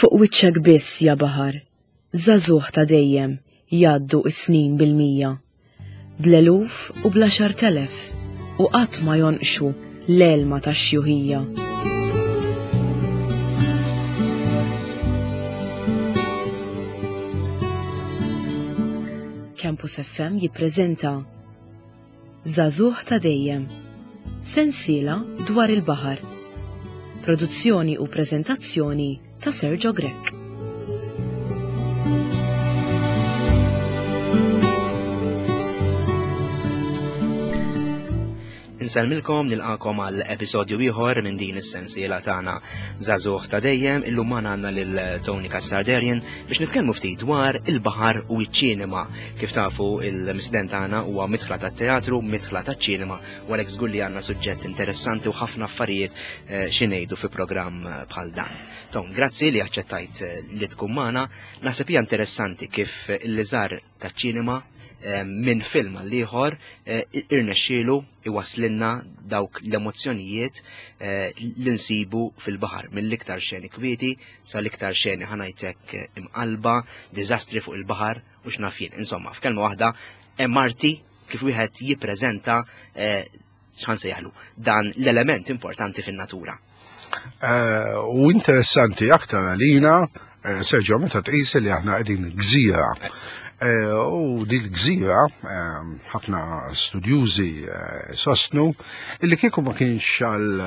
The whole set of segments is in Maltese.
Fuq wiċċek biss ja baħar, żagħżugħ ta' dejjem jgħaddu s-snin bil-mija, bl-eluf u bl-għaxartelef u qatt ma jonqxu l-għelma tax-xjuħija. Campus FM jippreżenta Żagħżugħ ta' dejjem. Sensiela dwar il-baħar. Produzzjoni u preżentazzjoni ta' Sergio Grech. Insellmilkom nilqakom għal episodju ieħor minn din is-sensiela tagħna Żagħżugħ ta' dejjem illum magħna għandna lil Tony Cassarderian biex nitkellmu ftit dwar il-baħar u ċ-ċinema. Kif tafu il-misden tagħna huwa mitħla tat-teatru, mitħla taċ-ċinema, u għalhekk żgur li għandna suġġett interessanti u ħafna affarijiet eh, xi ngħidu fi programm eh, bħal dan. Tom, grazzi li aċċettajt eh, li tkun magħna. Naħseb hija interessanti kif il-liżar taċ-ċinema minn film għal ieħor irnexxielu iwasslilna dawk l-emozzjonijiet eh, li nsibu fil-baħar mill-iktar xeni kwieti sal-iktar xeni ħanajtek eh, imqalba, diżastri fuq il-baħar u x'naf jien. Insomma, f'kelma waħda hemm arti kif wieħed jippreżenta eh, x'ħan sejjaħlu dan l-element importanti fin-natura. Eh, u interessanti aktar għalina, eh, Sergio, meta tqis li aħna qegħdin gżira. Eh, u din gżira, ħafna studjużi sostnu, illi kieku ma kienx għal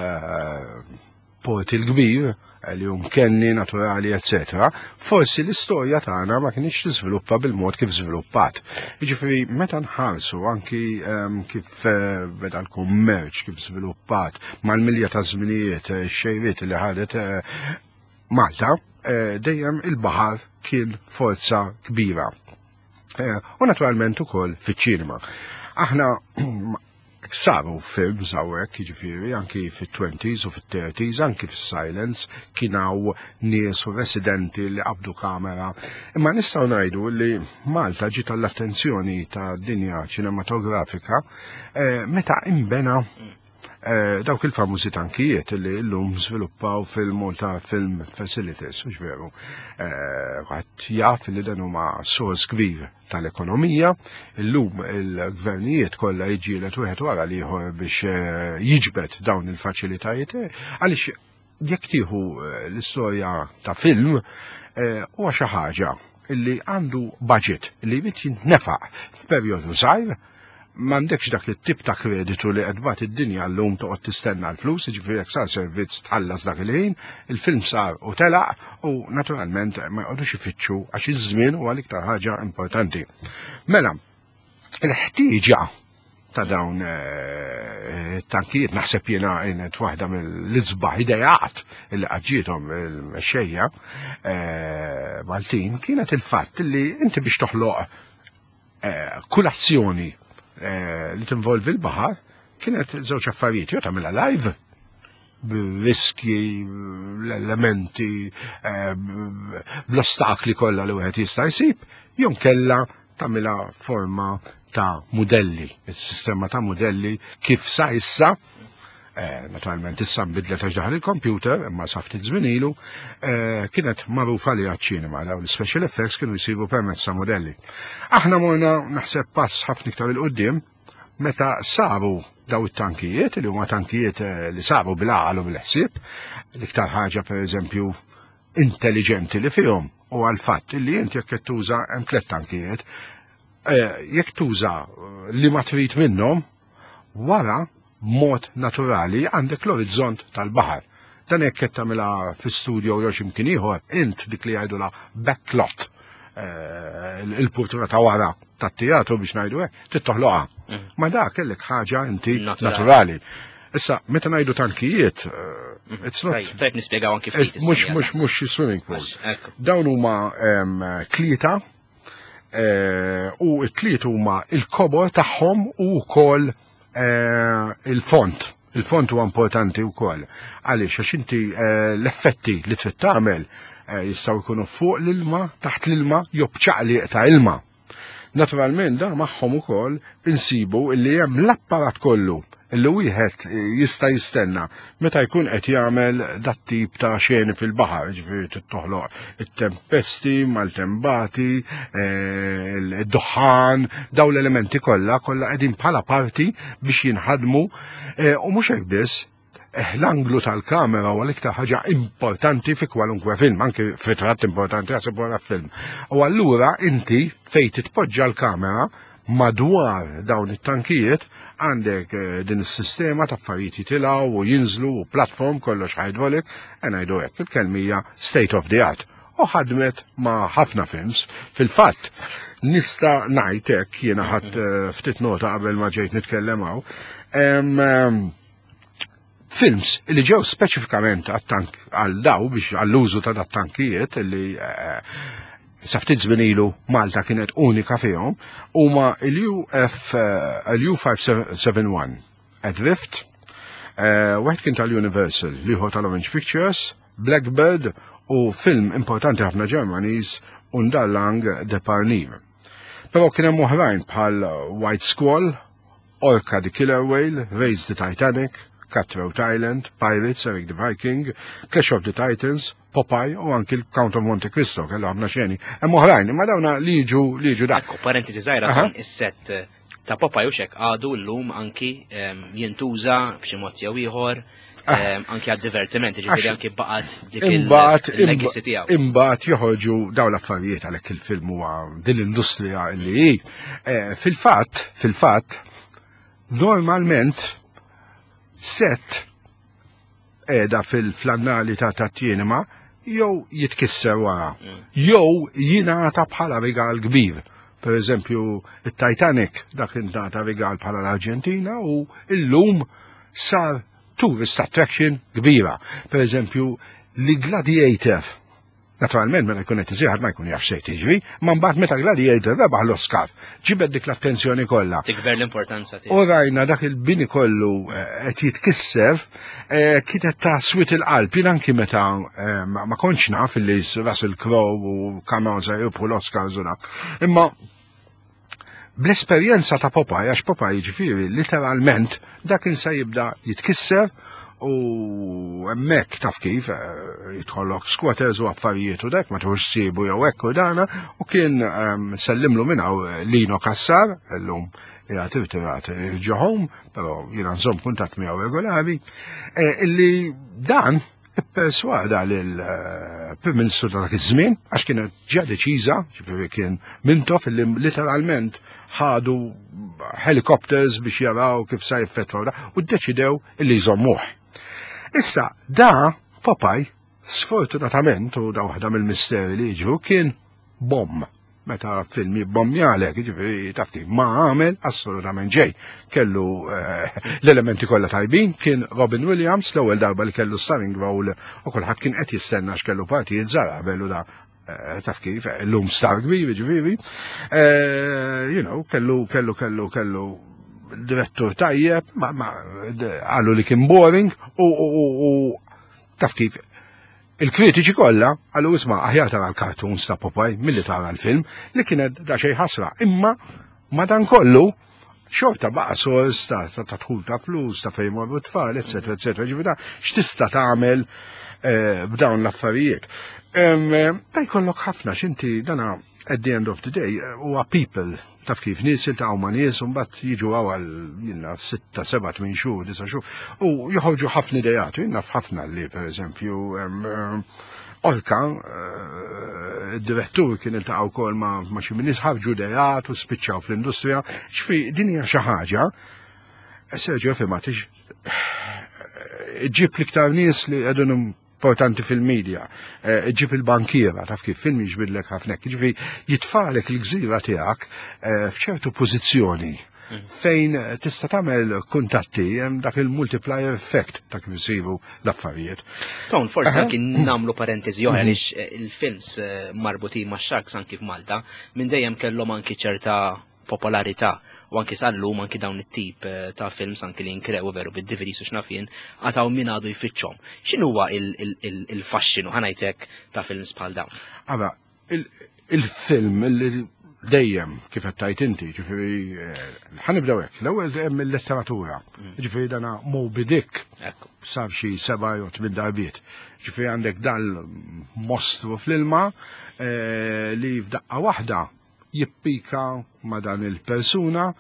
port il-kbir, li hu mkenni, naturali, eccetera, forsi l-istorja tagħna ma kienx tiżviluppa bil-mod kif żviluppat. Jiġifieri meta nħarsu anki ehm, kif eh, beda l-kummerċ, kif żviluppat mal-milja ta' żminijiet eh, xejriet li ħadet eh, Malta, dejjem il-baħar kien forza kbira. U naturalment ukoll fiċ-ċinema. Aħna Saru films hawnhekk, jiġifieri anki fit-twenties u fit-thirties, anki fis-silence kien hawn nies u residenti li qabdu kamera. Imma nistgħu ngħidu li Malta ġiet għall-attenzjoni ta' dinja ċinematografika eh, meta imbena eh, dawk il-famużi tankijiet li llum żviluppaw fil-Malta Film Facilities, mhux veru. Eh, Ħadd jaf li dan huma sors kbir tal-ekonomija. Illum il-gvernijiet kollha jiġġieled wieħed wara l-ieħor biex eh, jiġbed dawn il-faċilitajiet eh, għaliex jekk tieħu eh, l-istorja ta' film huwa xi ħaġa illi għandu budget li jrid jintnefaq f'perjodu żgħir m'għandekx dak it-tip ta' kreditu li qed tbagħat id-dinja llum toqgħod tistenna l-flus, jiġifieri jekk sar servizz tħallas dak il-ħin, il-film sar u telaq u naturalment ma jqogħdux ifittxu għax iż-żmien huwa l-iktar ħaġa importanti. Mela, il-ħtieġa ta' dawn eh, tankijiet naħseb jiena kienet waħda mill-isbaħ idejat li qaġġietom il-mexxejja eh, Maltin kienet il-fatt li inti biex toħloq Eh, kull azzjoni eh, li tinvolvi l-baħar kienet żewġ affarijiet, jew tagħmilha live b'riski, l-elementi, eh, bl-ostakli kollha li wieħed jista' jsib, jew kella tagħmilha forma ta' modelli, il-sistema ta' modelli kif sa issa Eh, naturalment issa nbidlet għax daħal il-computer, imma sa ftit żmien ilu, eh, kienet magħrufa li għaċ-ċinema, dawn l-special effects kienu jsiru permezz ta' modelli. Aħna morna naħseb pass ħafna iktar il-qudiem meta saru daw it-tankijiet, li huma tankijiet eh, li saru bil-għaqal u bil-ħsieb, l-iktar ħaġa per eżempju intelligenti li fihom u għal-fatt li inti jekk qed tuża hemm tliet tankijiet, jekk tuża li ma trid minnhom, Wara, b'mod naturali, għandek l-orizzont tal-baħar. Dan jekk qed tagħmilha fi studio jew xi mkien ieħor, int dik li jgħidulha backlot, eh, il-purtura ta' wara tat-teatru biex ngħidu hekk, trid toħloqha. Mm. Ma dak kellek ħaġa inti naturali. Issa, meta ngħidu tankijiet, eh, mm. it's not. Tajb nispjegaw anki ftit. Mhux mhux mhux swimming pool. Dawn huma tlieta Eh, u t-tliet huma il-kobor tagħhom u wkoll eh, il-font. Il-font huwa importanti wkoll. Għaliex għax inti eh, l-effetti li trid tagħmel jistgħu jkunu fuq l-ilma, taħt l-ilma, jew b'ċaqliq ta' ilma. Naturalment da magħhom ukoll insibu li hemm l-apparat kollu li wieħed jista' jistenna meta jkun qed jagħmel dat tip ta' xeni fil-baħar, ġifieri tittoħloq it-tempesti, maltembati, eh, id-duħħan, daw l-elementi kollha kollha qegħdin bħala parti biex jinħadmu eh, u mhux hekk biss, eh, l-anglu tal-kamera huwa l-iktar ħaġa importanti fi kwalunkwe film, anki f'ritratt importanti għasib wara film. U allura inti fejn titpoġġa l-kamera madwar dawn it-tankijiet għandek eh, din is-sistema ta' affarijiet jitilgħu u jinżlu u platform kollox hydraulic, e ngħidu hekk il-kelmija state of the art. U ħadmet ma' ħafna films. Fil-fatt, nista' ngħid hekk jiena ħadd eh, ftit nota qabel ma ġejt nitkellem hawn. Films li ġew speċifikament għat-tank għal daw biex għall-użu ta' dat-tankijiet li eh, sa ftit żmien ilu Malta kienet unika fihom huma l-UF eh, l-U571 Adrift, eh, wieħed kien tal-Universal, l-ieħor tal-Orange Pictures, Blackbird u film importanti ħafna Ġermaniż Undarlang de Parnir. Però kien hemm oħrajn bħal White Squall, Orca the Killer Whale, Raise the Titanic, Cutthroat Island, Pirates, Eric the Viking, Clash of the Titans, Popeye u anki l-Count of Monte Cristo kellu ħafna xeni. Hemm oħrajn, imma dawna li jiġu li jiġu dak. Ekku, parentesi żgħira kan is-set eh, ta' Popeye u xek għadu llum anki ehm, jintuża b'xi mod jew ieħor. Ah. Ehm, anki għad-divertiment, ġifieri anki baqgħet dik il-legacy tiegħu. Imbagħad joħorġu dawn l-affarijiet għalhekk il-film huwa din l-industrija li hi. Eh, fil-fatt, fil-fatt, normalment set qiegħda fil-flannali ta' tat-tinema jew jitkisser wara, mm. jew jingħata bħala rigal kbir. Per eżempju, it-Titanic dak ingħata rigal bħala l-Arġentina u illum sar tourist attraction kbira. Per eżempju, li Gladiator, naturalment meta jkun qed isir ma jkun jaf xejn tiġri, ma mbagħad meta Gladiator rebaħ l-Oscar, ġibed dik l-attenzjoni kollha. Tikber l-importanza tiegħu. U rajna dak il-bini kollu eh, qed jitkisser eh, kienet ta' swit il-qalb. Jien anki meta eh, ma kontx naf li Russell Crowe u Cameron se jirbħu l-Oscars u dak. Imma Bl-esperjenza ta' Popeye, għax Popeye jiġifieri literalment dak kien se jibda jitkisser u hemmhekk taf kif eh, jidħollok squatters u affarijiet u dak ma tħux sibu jew hekk u dana u kien ehm, sellimlu minn hawn eh, Lino Kassar illum qiegħed irtirat eh, ġo home, però jiena nżomm kuntatt miegħu regolari, illi dan ipperswada lill-Prim Ministru ta' dak iż-żmien għax kienet ġa deċiża, ġifieri kien Mintoff illi literalment ħadu helicopters biex jaraw kif sa jiffetwaw da u ddeċidew illi jżommuh. Issa da Popeye sfortunatament u da waħda mill-misteri li jiġru kien bomb meta film jibbombjalek, ġifieri taf kif ma għamel assolutament ġej. Kellu eh, l-elementi kollha tajbin, kien Robin Williams l-ewwel darba li kellu starring role u kulħadd kien qed jistenna x'kellu partijiet żgħar qabel u da eh, taf kif, llum star kbir, ġifieri. Eh, you know, kellu kellu kellu kellu direttur tajjeb, ma, ma qalu li kien boring u, u, u taf kif Il-kritiċi kollha qalu isma' aħjar tara l-cartoons ta' Popeye milli tara l-film li kienet da xejn ħasra. Imma madankollu xorta baqa' sors ta' dħul ta' flus, ta' fejn marru t-tfal, eċetera, eċetera. Ġifieri x'tista' tagħmel eh, b'dawn l-affarijiet. Eh, ta' jkollok ħafna x'inti dana at the end of the day huwa people taf kif nies iltaqgħu ma' nies u mbagħad jiġu hawn għal jiena sitta, seba', tmien xhur, disa' xhur u joħorġu ħafna ideat. Jien naf ħafna li pereżempju Orka, eh, id-direttur kien iltaqa' wkoll ma' xi nies ħarġu ideat u spiċċaw fl-industrija. Xfi din hija xi ħaġa Sergio fimha ġib l-iktar nies li qegħdin importanti fil-media, eh, ġib il-bankiera, taf kif film jiġbidlek ħafna, ġifi jitfalek il-gżira tiegħek eh, f'ċertu pożizzjoni mm. fejn tista' tagħmel kuntatti hemm dak il-multiplier effect ta' kif isiru l-affarijiet. Ton, forsi anki nagħmlu parentesi oħra mhm. għaliex eh, il-films marbutin ma' sharks anki f'Malta minn dejjem kellhom anki ċerta popolarità u anki sal-lum anki dawn it-tip eh, ta' films anki li nkrew veru bid-DVDs u x'naf jien għataw min għadu jfittxhom. X'inhuwa il-faxxinu ħanajtek ta' films bħal dawn? Ara, il-film Dejjem kif qed tgħid inti, ġifieri eh, ħanibdew hekk. L-ewwel hemm il-letteratura. Ġifieri dana Moby Dick sar xi seba' jew tmien darbiet. Ġifieri għandek dal-mostru fl-ilma eh, li f'daqqa waħda jippika ma' dan il-persuna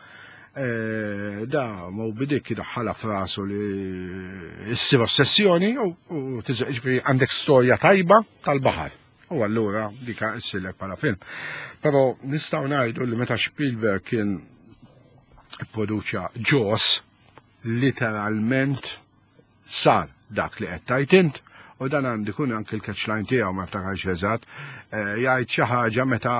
eh, da Moby Dick idaħħalha f'rasu li ssir ossessjoni u ġifieri għandek storja tajba tal-baħar. U allura dika issirlek bħala film. Però nistgħu ngħidu li meta Spielberg kien produċa Jaws, literalment sar dak li qed tgħid int u dan għandi kun anki l-catch line tiegħu ma ftakarx eżatt, eh, jgħid xi ħaġa meta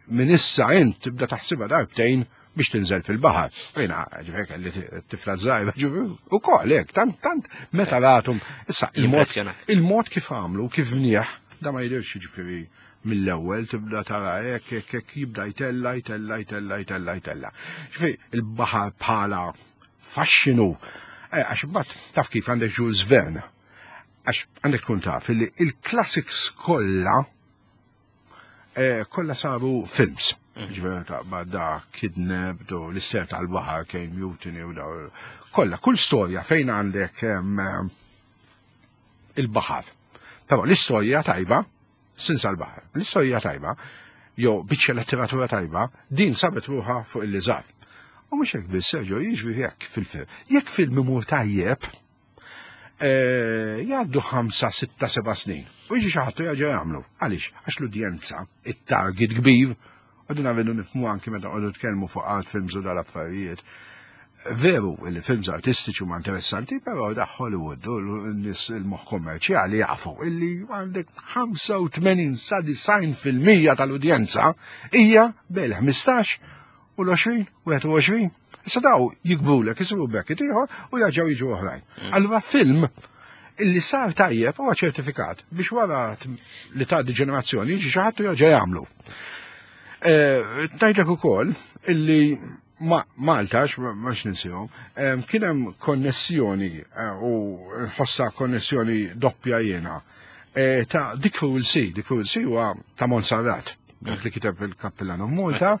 minn issa int tibda taħsibha darbtejn biex tinżel fil-baħar. Jena, ġifieri kelli tifla żgħira, ġifieri ukoll hekk, tant tant meta ratum. Issa il-mod kif għamlu, kif mnieħ, da ma jidhirx ġifieri mill-ewwel tibda tara hekk hekk hekk jibda jtella jtella jtella jtella jtella. Ġifieri il-baħar bħala faxxinu, eh, għax imbagħad taf kif għandek Jules Verne. Għax għandek tkun taf li il-classics kollha Eh, kollha saru films. Ġifieri taqbad da Kidnap, do l-isser tal-baħar, Kane Mutiny u da. Kollha, kull storja fejn għandek il-baħar. Però l-istorja tajba, sinsa l-baħar, l-istorja tajba, jew biċċa letteratura tajba, din sabet ruħha fuq il-liżar. U mhux hekk biss, Sergio, jiġri hekk fil-film. Jekk film imur tajjeb, Eh, jgħaddu 5, 6, 7 snin. U jiġi xi ħadd jerġa' jagħmlu. Għaliex? Għax l-udjenza, it-target kbir, u din għavidu nifhmu anki meta qogħdu tkellmu fuq art films u dal-affarijiet. Veru li films artistiċi huma interessanti, però da Hollywood u n-nies il-moħħ kommerċjali jafu illi għandek 85 sa 90% tal-udjenza hija bejn 15 u l-20, 21. Issa daw jikbrulek, jisiru bracket ieħor u jarġgħu jiġu oħrajn. Mm. Allura film illi sar tajjeb huwa ċertifikat biex wara li tgħaddi ġenerazzjoni jiġi xi ħadd jerġa' jagħmlu. Eh, Tgħidlek ukoll illi Malta, ma ninsihom, kien hemm konnessjoni eh, u nħossa konnessjoni doppja jiena eh, ta' Dick Cruel Sea. Dick Cruel Sea huwa ta' Monserrat dak li kiteb il-Kappillan of Malta,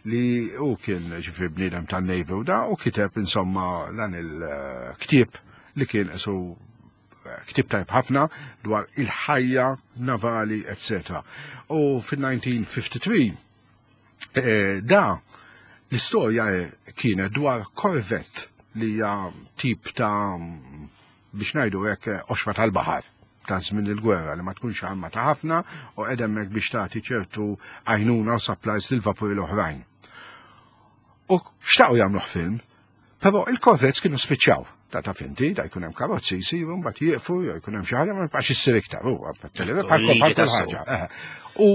li u kien ġifri bniedem ta' Navy u da, u kiteb insomma dan il-ktieb li kien isu eh, ktieb tajb ħafna dwar il-ħajja navali, etc. U fil-1953 eh, da l-istorja kienet dwar korvett li hija tip ta' biex ngħidu hekk qoxra tal-baħar ta' żmien il-gwerra li ma tkunx armata ħafna u qed hemmhekk biex tagħti ċertu għajnuna u supplies lil vapuri l-oħrajn. U xtaqu jagħmluh film, però il-korvets kienu spiċċaw. Ta' ta' finti, da jkun hemm karozzi jsiru, mbagħad jieqfu, jew jkun hemm xi ħaġa ma jibqax issir iktar, huwa bħal kull ħaġa. U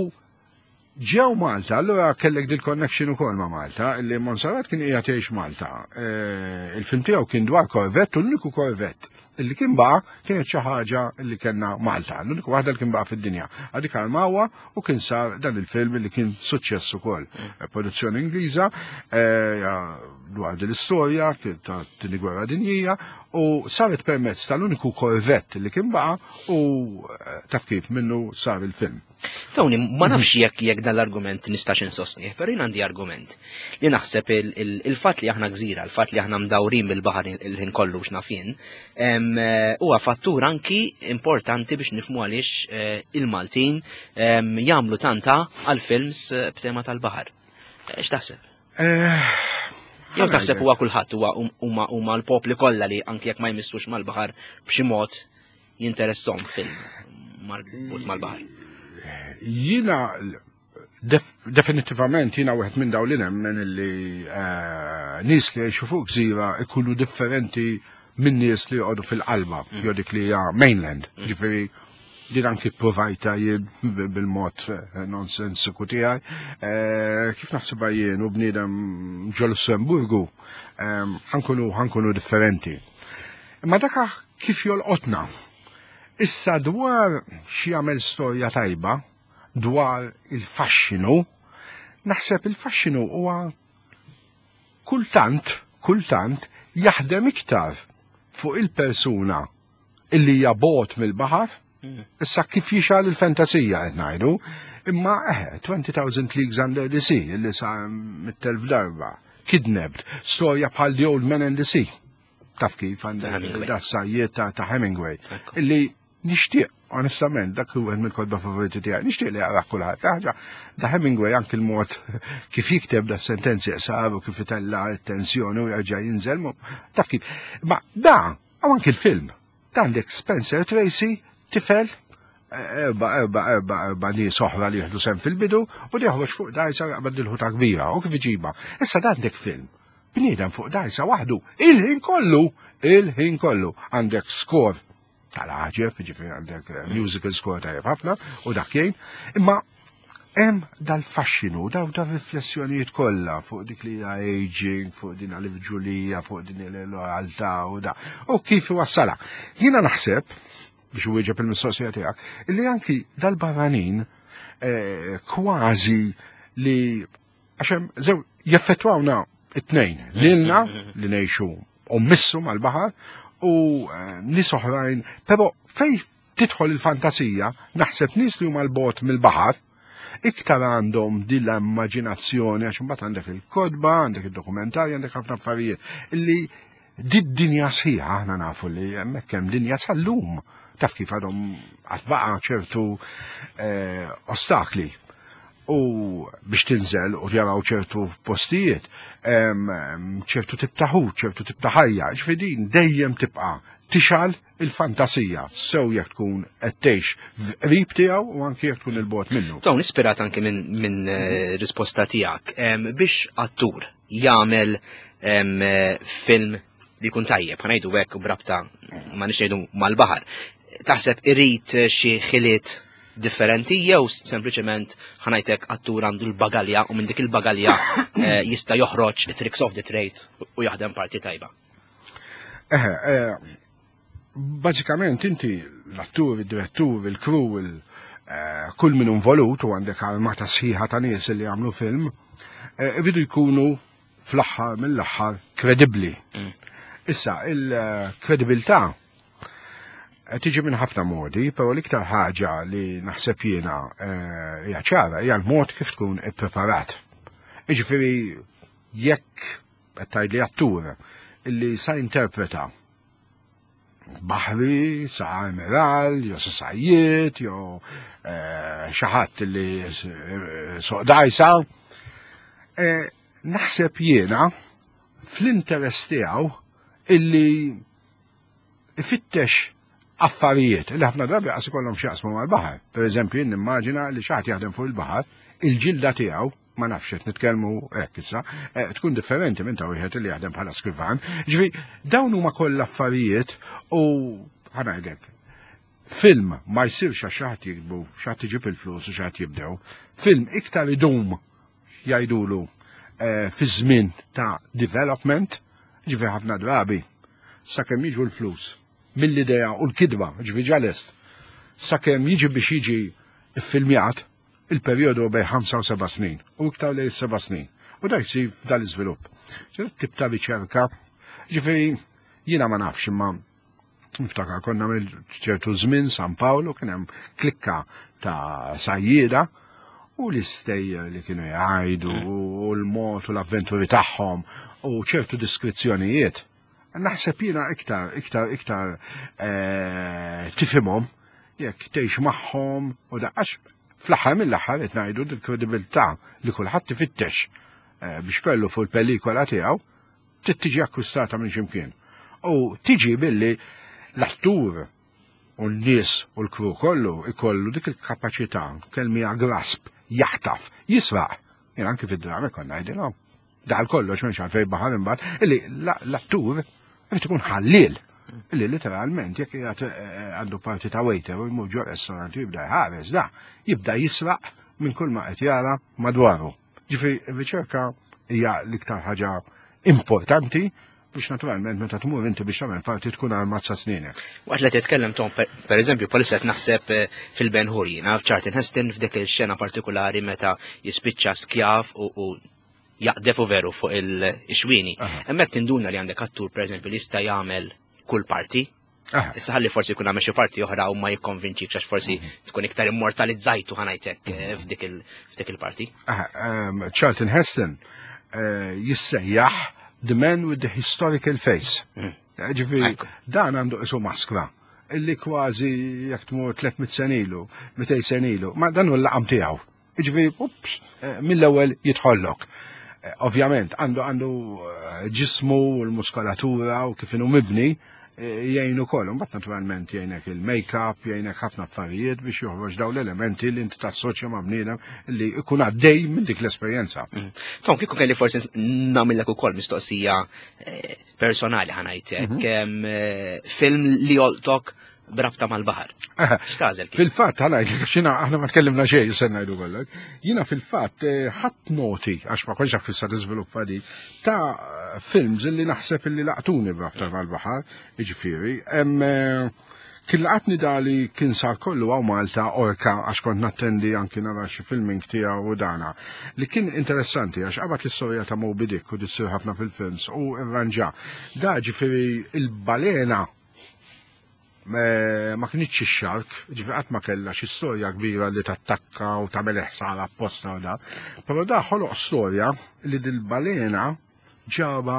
Ġew Malta, allura kellek dil connection ukoll ma' Malta, li Monserrat kien qiegħed jgħix Malta. Eh, il-film tiegħu kien dwar korvett u l-uniku korvett illi kien baqa' kienet xi ħaġa li kellna Malta, l-uniku waħda li kien baqa' fid-dinja. Għadik armawha u kien sar dan il-film li kien suċċess ukoll. Mm. Eh, produzzjoni Ingliża eh, dwar din l-istorja ta' tieni gwerra dinjija u saret permezz tal-uniku korvett li kien baqa' u taf kif minnu sar il-film. Tony, ma nafx jekk jekk dan l-argument nistax insostnih, però jien għandi argument li naħseb il-fatt li aħna gżira, il-fatt li aħna mdawrin bil-baħar il-ħin kollu x'naf jien, eh, huwa fattur anki importanti biex nifmu għaliex eh, il-Maltin jagħmlu tanta għal films eh, b'tema tal-baħar. X'taħseb? Jew taħseb huwa kulħadd huwa huma l-popli kollha li anki jekk ma jmissux mal-baħar b'xi mod jinteressom film marbut mal-baħar? Jina definitivament jina wieħed minn dawn li nemmen li eh, nies li jgħixu fuq gżira ikunu differenti minn nies li joqogħdu fil-qalba, mm. jew dik li hija mainland. Mm. Ġifieri din anki provajta jien bil-mod eh, nonsensiku tiegħi. Eh, kif naħsibha jien u bniedem ġo Lussemburgu ħankunu ħankunu differenti. Imma dak kif jolqotna. Issa dwar xi jagħmel storja tajba, dwar il-faxxinu, naħseb il-faxxinu huwa kultant, kultant jaħdem iktar fuq il-persuna illi hija bogħod mill-baħar. Issa kif jixgħal il-fantasija qed ngħidu, imma eh, 20,000 Leagues Under the Sea li sa mit-telf darba, Kidnapped, storja bħal The Old Man and the Sea. Taf kif għandek da sajjiet ta' Hemingway. Illi nixtieq onestament, dak huwa mill-kotba favoriti tiegħi, nixtieq li jaqra kulħadd. Ħaġa da Hemingway anki l-mod kif jikteb da sentenzi qsar u kif itella' t-tensjoni u jerġa' jinżel, taf kif. Ma da, anki l-film, Għandek Spencer Tracy, tifel, erba, erba, erba, erba nies oħra li jieħdu sem fil-bidu u li joħroġ fuq dajsa jaqbad il-ħuta kbira u kif iġiba. Issa għandek film. Bniedem fuq dajsa waħdu il-ħin kollu, il-ħin kollu. Għandek skor tal-ħaġeb, ġifieri għandek eh, musical score tajjeb ħafna u dak jgħin. Imma Hemm dal-faxxinu, daw da riflessjonijiet kollha fuq dik li hija aging, fuq din l-ġulija, fuq din il-lojaltà u da. U kif iwassala. Jiena naħseb, biex wieġeb il-mistoqsija tiegħek, li anki dal-barranin eh, kważi li għax hemm zew jeffettwawna it-tnejn, lilna li ngħixu u missu mal-baħar u eh, nies oħrajn, però fej tidħol il-fantasija, naħseb nies li huma l-bogħod mill-baħar, iktar għandhom din l-immaġinazzjoni għax imbagħad għandek il-kotba, għandek id-dokumentarji, għandek ħafna affarijiet illi did-dinja sħiħa aħna nafu li hemmhekk hemm dinja sal-lum taf kif għadhom għad baqa' ċertu eh, ostakli u biex tinżel u jaraw ċertu postijiet, ċertu tip ta' ħut, ċertu tip ta' ħajja, ġifieri din dejjem tibqa' tixgħal il-fantasija, sew jekk tkun qed tgħix qrib tiegħu u anki jekk tkun il-bogħod minnu. Dawn ispirat anki minn min, eh, risposta tiegħek biex attur jagħmel eh, film li jkun tajjeb, ħanajdu hekk brabta ma nix ngħidu mal-baħar. Taħseb irid xi ħiliet differenti jew sempliċement ħanajtek attur għandu l-bagalja u minn dik il-bagalja eh, jista' joħroġ it-tricks of the trade u jaħdem parti tajba. Eh, eh, bażikament inti l-attur, il-direttur, il-crew, eh, kull min involut u għandek armata sħiħa ta' nies li jagħmlu film, eh, iridu jkunu fl-aħħar mill-aħħar kredibbli. Issa, il-kredibilità tiġi minn ħafna modi, però l-iktar ħaġa li naħseb jiena hija ċara hija l-mod kif tkun ippreparat. Jiġifieri jekk qed tgħidli attur illi sa interpreta baħri, sa amiral, jew sa sajjiet, jew eh, xi ħadd li eh, soq dajsa. Eh, naħseb jiena fl-interess tiegħu illi ifittex affarijiet li ħafna drabi qas ikollhom x'jaqsmu mal-baħar. Per eżempju, jien nimmaġina li xi ħadd jaħdem fuq il-baħar, il-ġilda tiegħu ma nafx qed nitkellmu hekk issa, eh, tkun differenti minn ta' wieħed li jaħdem bħala skrivan. Ġifi, dawn huma kollha affarijiet u ħanajdek. Film ma jsirx għax xi ħadd jiktbu, xi ħadd iġib il-flus u xi ħadd jibdew. Film iktar idum jgħidulu eh, fi żmien ta' development, ġifi ħafna drabi, sakemm jiġu l-flus mill-idea u l-kidba, ġifi ġalest, sakemm jiġi biex jiġi iffilmjat, il-perjodu bejn 5 u 7 snin, u iktar lejn 7 snin. U dak jsir f'dan l-iżvilupp. Tip ta' riċerka, ġifieri jiena ma nafx imma niftakar konna mill ċertu żmien San Paolo kien hemm klikka ta' sajjieda u l-istejjer li kienu jgħidu u l-mod u l-avventuri tagħhom u ċertu diskrizzjonijiet. Naħseb jiena iktar, iktar, iktar eh, tifhimhom jekk tgħix magħhom u daqqax fl-aħħar mill-aħħar qed ngħidu l-kredibilità li kulħadd ifittex eh, biex kellu fuq il-pelikola tiegħu trid tiġi akkwistata minn ximkien. U tiġi billi l-attur u n-nies u l-kru kollu ikollu dik il-kapaċità kelmija grasp jaħtaf, jisraq. Jien anki fid-drama konna ngħidilhom. Dal kollox minn xalfej baħar imbagħad illi l-attur irid ikun ħalliel. Illi literalment jekk qiegħed eh, għandu parti ta' waiter u jmur ġo restaurant u jibda jħares da, jibda jisraq minn kull ma qed jara madwaru. Ġifieri r-riċerka hija l-iktar ħaġa importanti biex naturalment meta tmur inti biex tagħmel parti tkun armat sa snienek. Waqt li titkellem Tom, per eżempju, palissa qed naħseb eh, fil-Ben Hur jiena f'Charlton Heston f'dik il-xena partikolari meta jispiċċa skjav u jaqdef u veru fuq il-xwini. Hemmhekk tinduna li għandek attur per eżempju li jista' jagħmel kull parti. Issa ħalli forsi jkun għamel xi parti oħra u ma jikkonvinċik għax forsi mhm. tkun iktar immortalizzajtu ħanajtek eh, f'dik il-parti. Ehm, Charlton Heston eh, jissejjaħ The Man with the Historical Face. Mm. Ġifieri, dan għandu isu maskra illi kważi jekk tmur 300 senilu, 200 senilu, ma dan hu l-laqam tiegħu. Ġifieri, ups, eh, mill-ewwel jidħollok. Eh, ovvjament, għandu għandu eh, ġismu u l-muskolatura u kif inhu mibni jgħinu ukoll. Mbagħad naturalment jgħinek il-make-up, jgħinek ħafna affarijiet biex joħroġ daw l-elementi li inti tassoċja ma' bniedem li jkun għaddej minn dik l-esperjenza. Mm. Tom, kieku kelli forsi nagħmellek ukoll mistoqsija personali ħanajtek, mhm. film li joltok brabta mal-baħar. X'tażel? Fil-fatt ħanajt xina aħna ma tkellimna xejn se ngħidu kollok. Jiena fil-fatt eh, ħadd noti għax ma kontx naf kif se tiżviluppa di ta' films illi naħseb illi laqtuni brabta mal-baħar, jiġifieri, hemm eh, kien laqatni dali kien sar kollu għaw Malta orka għax kont nattendi anki nara xi filming tiegħu u dana. Li kien interessanti għax qabad l-istorja ta' Moby Dick u dissir ħafna fil-films u rranġa. Da ġifieri il-balena ma kinitx ix-xark, ġifi qatt ma kellha xi storja kbira li tattakka u tagħmel ħsara apposta u da. Però da ħoloq storja li dil-balena ġaba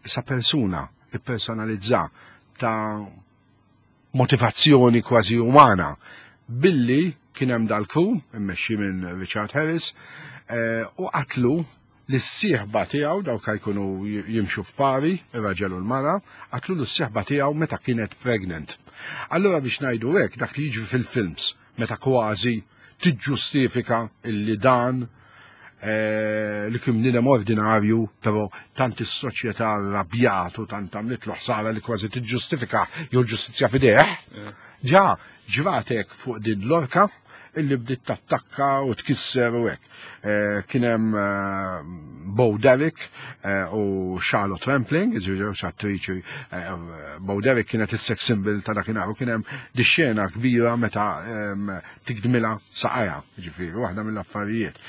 sa persuna, ippersonalizza ta' motivazzjoni kważi umana billi kien hemm dal-crew immexxi minn Richard Harris eh, u qatlu lis-sieħba tiegħu, dawk jkunu jimxu f'pari, ir-raġel u l-mara, qatlu lis-sieħba tiegħu meta kienet pregnant. Allura biex ngħidu hekk dak li jiġri fil-films meta kważi tiġġustifika illi dan eh, li kien bniedem ordinarju, però tant is-soċjetà rrabjatu, tant għamlitlu ħsara li kważi tiġġustifika jew ġustizzja f'idejh. Ġa ġratek fuq din l-orka illi bdiet tattakka u tkisser u hekk. Eh, kien hemm eh, Bo Derek eh, u Charlotte Rampling, żewġ attriċi, Bo Derek kienet is-sex symbol ta' dakinhar u kien hemm di xena kbira meta ehm, tikdmilha saqajha, ġifieri, waħda mill-affarijiet.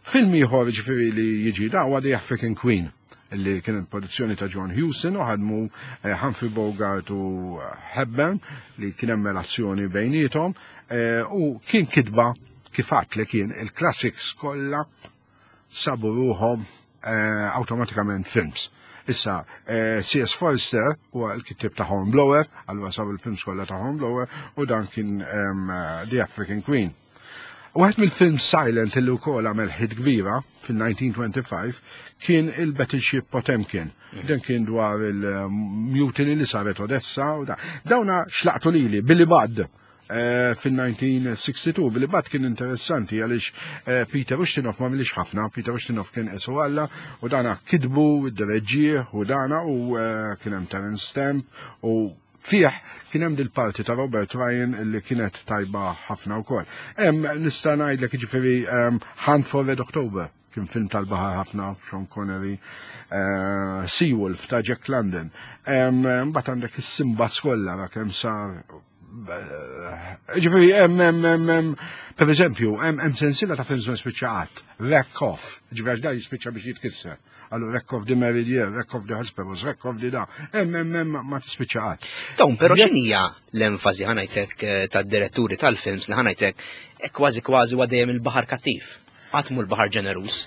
Film ieħor ġifieri li jiġi da huwa The African Queen li kienet produzzjoni ta' John Hewson u ħadmu eh, Humphrey Bogart u eh, Hepburn li kien hemm relazzjoni bejniethom eh, u kien kitba kif għadt li kien il-classics kollha sabu ruħhom awtomatikament films. Issa, C.S. Forrester huwa l-kittib ta' Hornblower, allura sabu l-films kollha ta' Hornblower u dan kien ehm, The African Queen. Waħed mill-film silent illi wkoll għamel hit kbira fil-1925 kien il-Battleship Potemkin. Mm. Dan kien dwar il-mutiny li saret Odessa u da. Dawna xlaqtu lili, Billy Budd eh, fil-1962. Billy Budd kien interessanti għaliex eh, Peter Ustinov ma milix ħafna, Peter Ustinov kien isu Alla u dana kidbu, id-dereġġieħ u dana u eh, kien hemm Terence Stamp u Fih kien hemm dil-parti ta' Robert Ryan li kienet tajba ħafna wkoll. Hemm nista' ngħidlek jiġifieri Hunt for Red October kien film tal-baħar ħafna Sean Connery, uh, Seawolf ta' Jack London. Mbagħad għandek is-Simbad kollha ra kemm sar eh, Ġifieri hemm hemm hemm per eżempju, hemm sensiela ta' films ma spiċċa qatt, Wreck Off, ġifieri għax da jispiċċa biex jitkisser. Għallu wreck of the Meridian, wreck of the Hesperus, wreck of the da. Hemm hemm hemm ma tispiċċa qatt. Dawn però x'inhija l-enfasi ħanajtek eh, tad-diretturi tal-films li ħanajtek eh, kważi kważi huwa dejjem il-baħar kattiv. Qatt mhu l-baħar ġeneruż.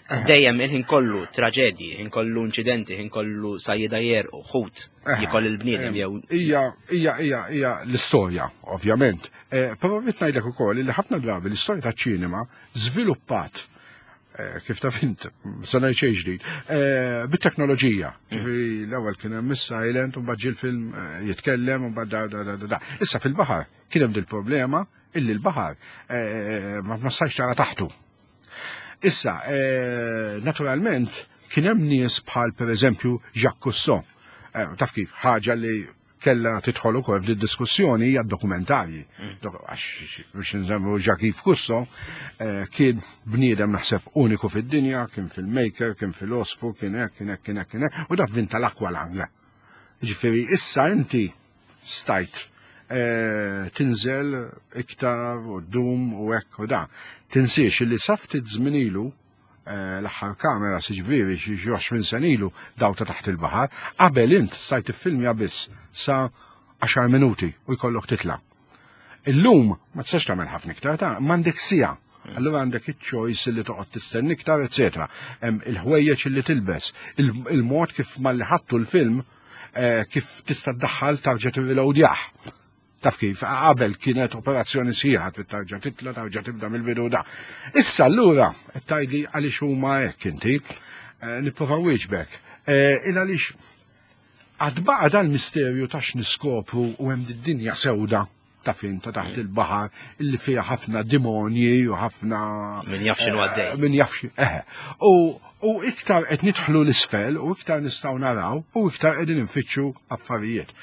Eh. Dejjem il-ħin kollu traġedji, ħin kollu inċidenti, ħin kollu sajjida jerqu, ħut, jikoll il-bniedem jew. Hija hija hija hija l-istorja, ovvjament. Però rrid ngħidlek ukoll li ħafna drabi l-istorja taċ-ċinema żviluppat Eh, kif taf int, se ngħid xejn ġdid, eh, bit-teknoloġija. Ġifieri l-ewwel kien hemm is-silent u mbagħad ġie l-film eh, jitkellem u mbagħad da da da da. Issa fil-baħar kien hemm dil-problema illi l-baħar ma stajx tara taħtu. Issa, naturalment, kien hemm nies bħal pereżempju Jacques Cousteau. Taf kif, ħaġa li kellha tidħol ukoll f'din diskussjoni hija dokumentarji. Mm. Għax biex nżemmu Jacques Cousteau eh, kien bniedem naħseb uniku fid-dinja, kien filmmaker, kien filosfu, kien hekk, kien hekk, kien hekk, kien hekk, u da vinta l-aqualung. Ġifieri issa inti stajt eh, tinżel iktar u dum u hekk u da. Tinsiex li saftit żmien ilu Eh, l-aħħar kamera siġviri xi 20 sena ilu daw ta' taħt il-baħar, qabel int stajt tiffilmja biss sa 10 minuti u jkollok titla'. Illum ma tistax tagħmel ħafna iktar ta' m'għandek siegħa. Allura għandek iċ-choice li toqgħod tistenni iktar, eċetera. Hemm il-ħwejjeġ li tilbes, il-mod kif malli ħattu l-film eh, kif tista' tdaħħal tarġa' tirreloadjah. Taf kif, qabel kienet operazzjoni sħiħa trid tarġa' titla' tarġa' tibda mill-bidu da. Issa allura qed tgħidli għaliex huma hekk inti, eh, nipprova wieġbek. Eh, il għaliex Għad baqa' dal-misterju ta' x'niskopru u hemm did-dinja sewda ta' fin ta' taħt il-baħar illi fiha ħafna dimonji u ħafna Min jaf x'inhu għaddej. Min jaf xi eħe. U u iktar qed nidħlu l-isfel u iktar nistgħu naraw u iktar qegħdin infittxu affarijiet.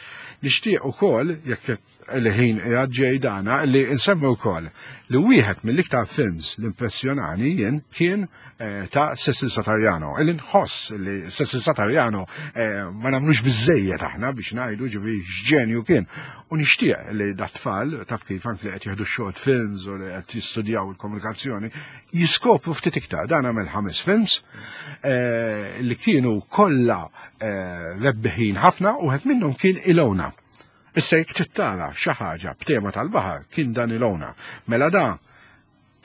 Nixtieq ukoll jekk il-ħin qiegħed ġej dana li nsemmi wkoll li wieħed mill-iktar films li impressjonani jien kien eh, ta' Cecil Satariano. Illi nħoss li Cecil Satariano eh, ma nagħmlux biżejjed aħna biex ngħidu ġifieri x'ġenju kien. U nixtieq li dat-tfal taf kif anke li qed jieħdu short films u li qed jistudjaw il-komunikazzjoni jiskopru ftit iktar. Dan għamel ħames films eh, li kienu kollha rebbiħin ħafna u wieħed minnhom kien Ilona. Issa jekk trid tara xi ħaġa b'tema tal-baħar kien dan Ilona. Mela da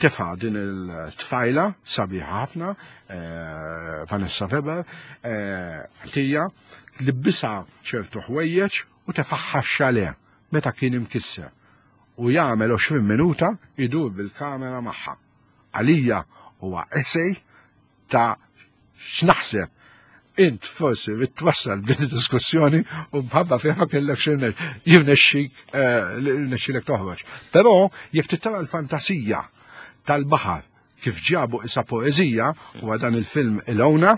tefa' din il-tfajla sabiħa ħafna, eh, Vanessa Weber, eh, ħtija, libbisha ċertu ħwejjeġ u tefaħħa xale meta kien imkisser. U jagħmel 20 minuta idur bil-kamera magħha. Għalija huwa essay ta' x'naħseb int forsi rrid twassal din id-diskussjoni u mħabba fiha ma kellek jirnexxik eh, jirnexxilek toħroġ. Però jekk tittara l-fantasija tal-baħar kif ġabu isa poeżija huwa dan il-film Ilona,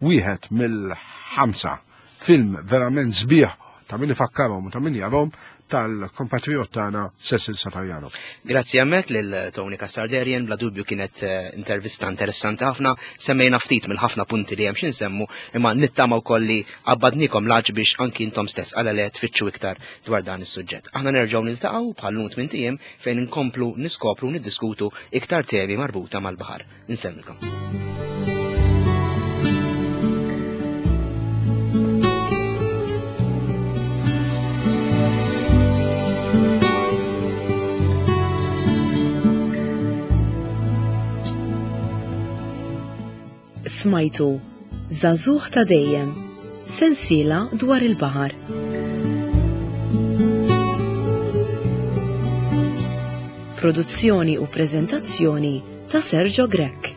wieħed mill-ħamsa film verament sbieħ ta' min ifakkarhom u ta' min jarhom tal-kompatriot tagħna Cecil Satariano. Grazzi hemmhekk lil Tony Cassarderian, bla dubju kienet eh, intervista interessanti ħafna, semmejna ftit mill-ħafna punti li hemm xi nsemmu, imma nittama wkoll li qabbadnikom laġ biex anki intom stess għala le tfittxu iktar dwar dan is-suġġett. Aħna nerġgħu niltaqgħu bħal lum tmien ijiem fejn inkomplu niskopru niddiskutu iktar temi marbuta mal-baħar. Insellmilkom. Smajtu Żagħżugħ ta' dejjem, sensiela dwar il-baħar. Produzzjoni u preżentazzjoni ta' Sergio Grech.